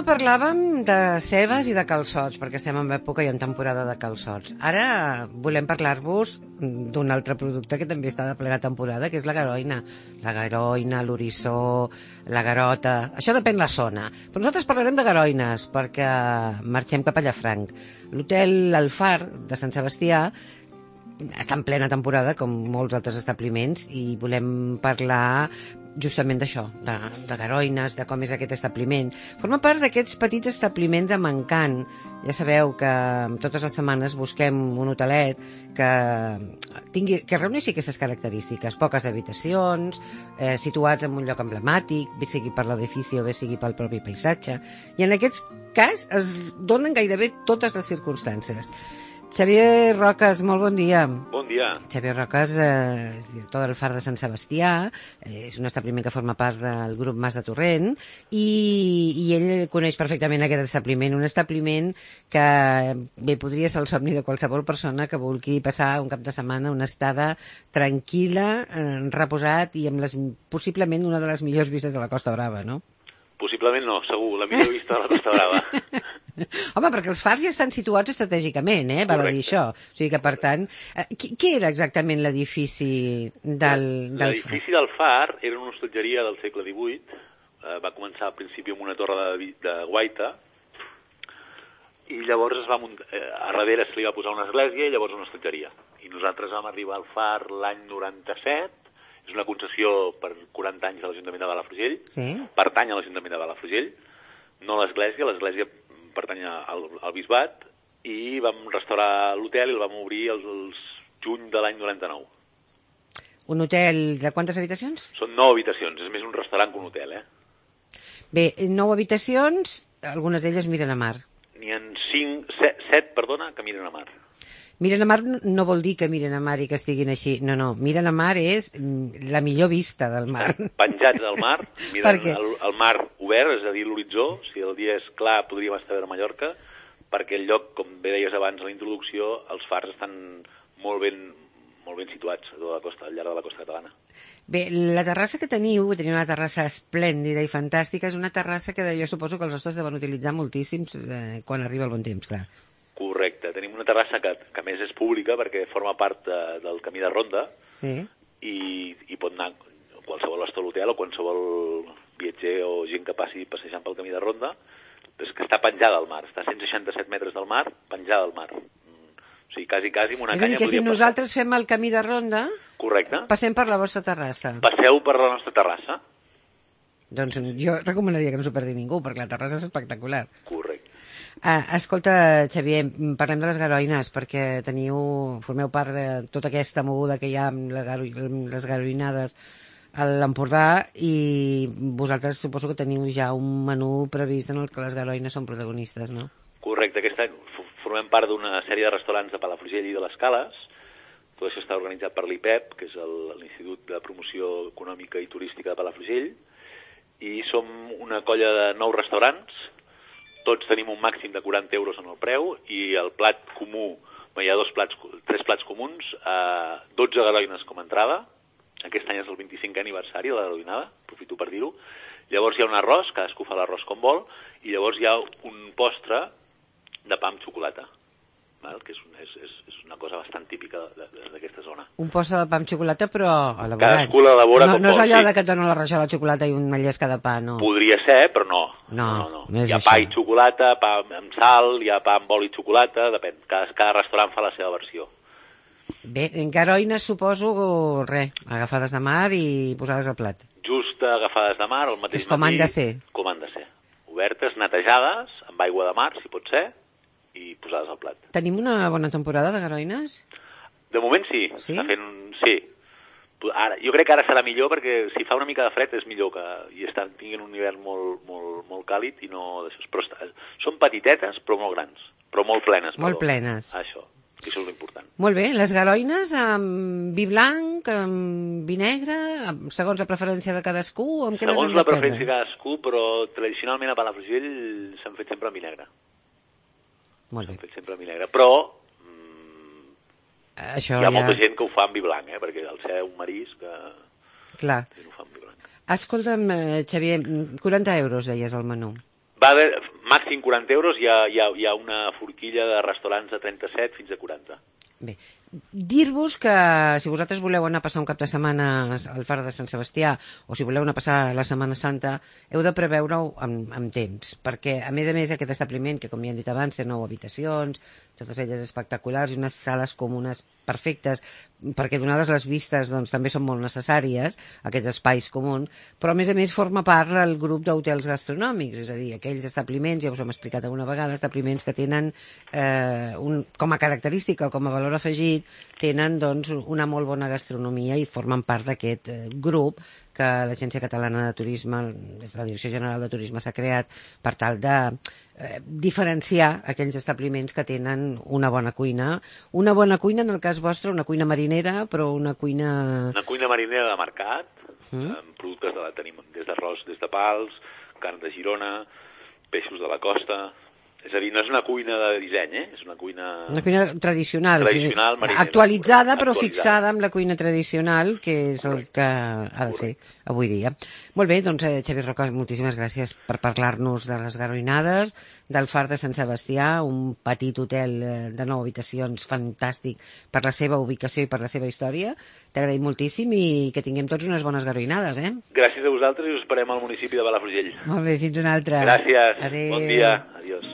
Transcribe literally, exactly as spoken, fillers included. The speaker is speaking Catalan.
parlàvem de cebes i de calçots, perquè estem en època i en temporada de calçots. Ara volem parlar-vos d'un altre producte que també està de plena temporada, que és la garoina. La garoina, l'orissó, la garota... Això depèn la zona. Però nosaltres parlarem de garoines, perquè marxem cap a Llafranc. L'hotel El Far de Sant Sebastià està en plena temporada, com molts altres establiments, i volem parlar justament d'això, de, de garoines, de com és aquest establiment. Forma part d'aquests petits establiments amb encant. Ja sabeu que totes les setmanes busquem un hotelet que tingui, que reuneixi aquestes característiques. Poques habitacions, eh, situats en un lloc emblemàtic, bé sigui per l'edifici o bé sigui pel propi paisatge. I en aquest cas es donen gairebé totes les circumstàncies. Xavier Roques, molt bon dia. Bon dia. Xavier Roques eh, és director del Far de Sant Sebastià, eh, és un establiment que forma part del grup Mas de Torrent, i, i ell coneix perfectament aquest establiment, un establiment que bé podria ser el somni de qualsevol persona que vulgui passar un cap de setmana una estada tranquil·la, eh, reposat i amb les, possiblement una de les millors vistes de la Costa Brava, no? Possiblement no, segur, la millor vista de la Costa Brava. Home, perquè els fars ja estan situats estratègicament, eh? Val a dir això. O sigui que, per tant... Eh, què era exactament l'edifici del, del L'edifici del Far era una hostatgeria del segle divuit. Eh, va començar al principi amb una torre de, de guaita, i llavors es va muntar, eh, a darrere se li va posar una església i llavors una hostatgeria. I nosaltres vam arribar al Far l'any noranta-set. És una concessió per quaranta anys de l'Ajuntament de Palafrugell. Sí. Pertany a l'Ajuntament de Palafrugell, no a l'església. L'església pertany al, al bisbat, i vam restaurar l'hotel i el vam obrir el, el juny de l'any noranta-nou. Un hotel de quantes habitacions? Són nou habitacions, és més un restaurant que un hotel, eh? Bé, nou habitacions, algunes d'elles miren a mar. N'hi ha cinc, set, set, perdona, que miren a mar. Miren a mar no vol dir que miren a mar i que estiguin així. No, no, miren a mar és la millor vista del mar. Penjats del mar, miren el, el mar obert, és a dir, l'horitzó. Si el dia és clar, podríem estar a veure Mallorca, perquè el lloc, com bé deies abans a la introducció, els fars estan molt ben, molt ben situats a tota la costa, al llarg de la costa catalana. Bé, la terrassa que teniu, teniu una terrassa esplèndida i fantàstica, és una terrassa que jo suposo que els hostes deuen utilitzar moltíssims eh, quan arriba el bon temps, clar. Correcte. Tenim una terrassa que, que a més és pública perquè forma part de, del camí de ronda, sí. i, i pot anar qualsevol estona a l'hotel o qualsevol viatger o gent que passi passejant pel camí de ronda. És que està penjada al mar, està a cent seixanta-set metres del mar, penjada al mar. O sigui, quasi, quasi amb una és canya... És a dir, que si passar. Nosaltres fem el camí de ronda, correcte, passem per la vostra terrassa. Passeu per la nostra terrassa. Doncs jo recomanaria que no s'ho perdi ningú, perquè la terrassa és espectacular. Correcte. Ah, escolta, Xavier, parlem de les garoines, perquè teniu, formeu part de tota aquesta moguda que hi ha amb les garoinades a l'Empordà, i vosaltres suposo que teniu ja un menú previst en el que les garoines són protagonistes, no? Correcte, aquest any formem part d'una sèrie de restaurants de Palafrugell i de les Cales. Tot això està organitzat per l'I P E P, que és l'Institut de Promoció Econòmica i Turística de Palafrugell, i som una colla de nou restaurants. Tots tenim un màxim de quaranta euros en el preu, i el plat comú, hi ha dos plats, tres plats comuns, eh, dotze garoines com a entrada. Aquest any és el vint-i-cinquè aniversari de la garoinada, aprofito per dir-ho. Llavors hi ha un arròs, cadascú fa l'arròs com vol, i llavors hi ha un postre de pa amb xocolata, val? Que és, un, és, és, és una cosa bastant típica d'aquesta zona. Un postre de pa amb xocolata, però elaborat. Cadascú l'elabora no, com no és vol, allò sí. de que et donen la rajola de xocolata i una llesca de pa, no. Podria ser, però no. No, no, no. no és hi ha això. pa i xocolata, pa amb sal, hi ha pa amb oli i xocolata, depèn. Cada, cada restaurant fa la seva versió. Bé, en garoines suposo, res, agafades de mar i posades al plat. Just agafades de mar, el mateix és com matí. han de ser. Com han de ser. Obertes, netejades, amb aigua de mar, si pot ser, i posades al plat. Tenim una bona temporada de garoines? De moment sí. Sí? Està fent un... Sí. Ara, jo crec que ara serà millor, perquè si fa una mica de fred és millor que i estan, tinguin un hivern molt, molt, molt càlid i no d'això. Però està, són petitetes, però molt grans, però molt plenes. Molt perdó. plenes. Això, que això és l'important. Molt bé, les garoines amb vi blanc, amb vi negre, amb, segons la preferència de cadascú, amb què les hem Segons de la preferència de prendre? cadascú, però tradicionalment a Palafrugell s'han fet sempre amb vi negre. Molt bé. S'han fet sempre amb vi negre, però Això hi ha ja... molta gent que ho fa amb vi blanc, eh? Perquè al ser un marisc que... Clar. que ho fa amb vi blanc. Escolta'm, eh, Xavier, quaranta euros deies al menú. Va haver, màxim quaranta euros, hi ha, hi, ha, hi ha una forquilla de restaurants de trenta-set fins a quaranta. Bé, dir-vos que si vosaltres voleu anar a passar un cap de setmana al Far de Sant Sebastià o si voleu anar a passar la Setmana Santa, heu de preveure-ho amb, amb temps, perquè a més a més aquest establiment, que com ja hem dit abans té nou habitacions, totes elles espectaculars i unes sales comunes perfectes, perquè donades les vistes doncs, també són molt necessàries aquests espais comuns, però a més a més forma part del grup d'hotels gastronòmics, és a dir, aquells establiments, ja us ho hem explicat alguna vegada, establiments que tenen eh, un, com a característica o com a valor afegit, tenen doncs, una molt bona gastronomia i formen part d'aquest eh, grup que l'Agència Catalana de Turisme, des de la Direcció General de Turisme, s'ha creat per tal de eh, diferenciar aquells establiments que tenen una bona cuina. Una bona cuina, en el cas vostre, una cuina marinera, però una cuina... Una cuina marinera de mercat, mm. amb productes de la tenim des d'arròs, des de pals, carn de Girona, peixos de la costa... És a dir, no és una cuina de disseny, eh? És una cuina... Una cuina tradicional. Tradicional, marinera. Actualitzada, però actualitzada. fixada amb la cuina tradicional, que és el que ha de ser avui dia. Molt bé, doncs, eh, Xavier Roca, moltíssimes gràcies per parlar-nos de les garoinades, del Far de Sant Sebastià, un petit hotel de nou habitacions fantàstic per la seva ubicació i per la seva història. T'agraïm moltíssim i que tinguem tots unes bones garoinades, eh? Gràcies a vosaltres i us esperem al municipi de Palafrugell. Molt bé, fins una altra. Gràcies. Adéu. Bon dia. Adiós.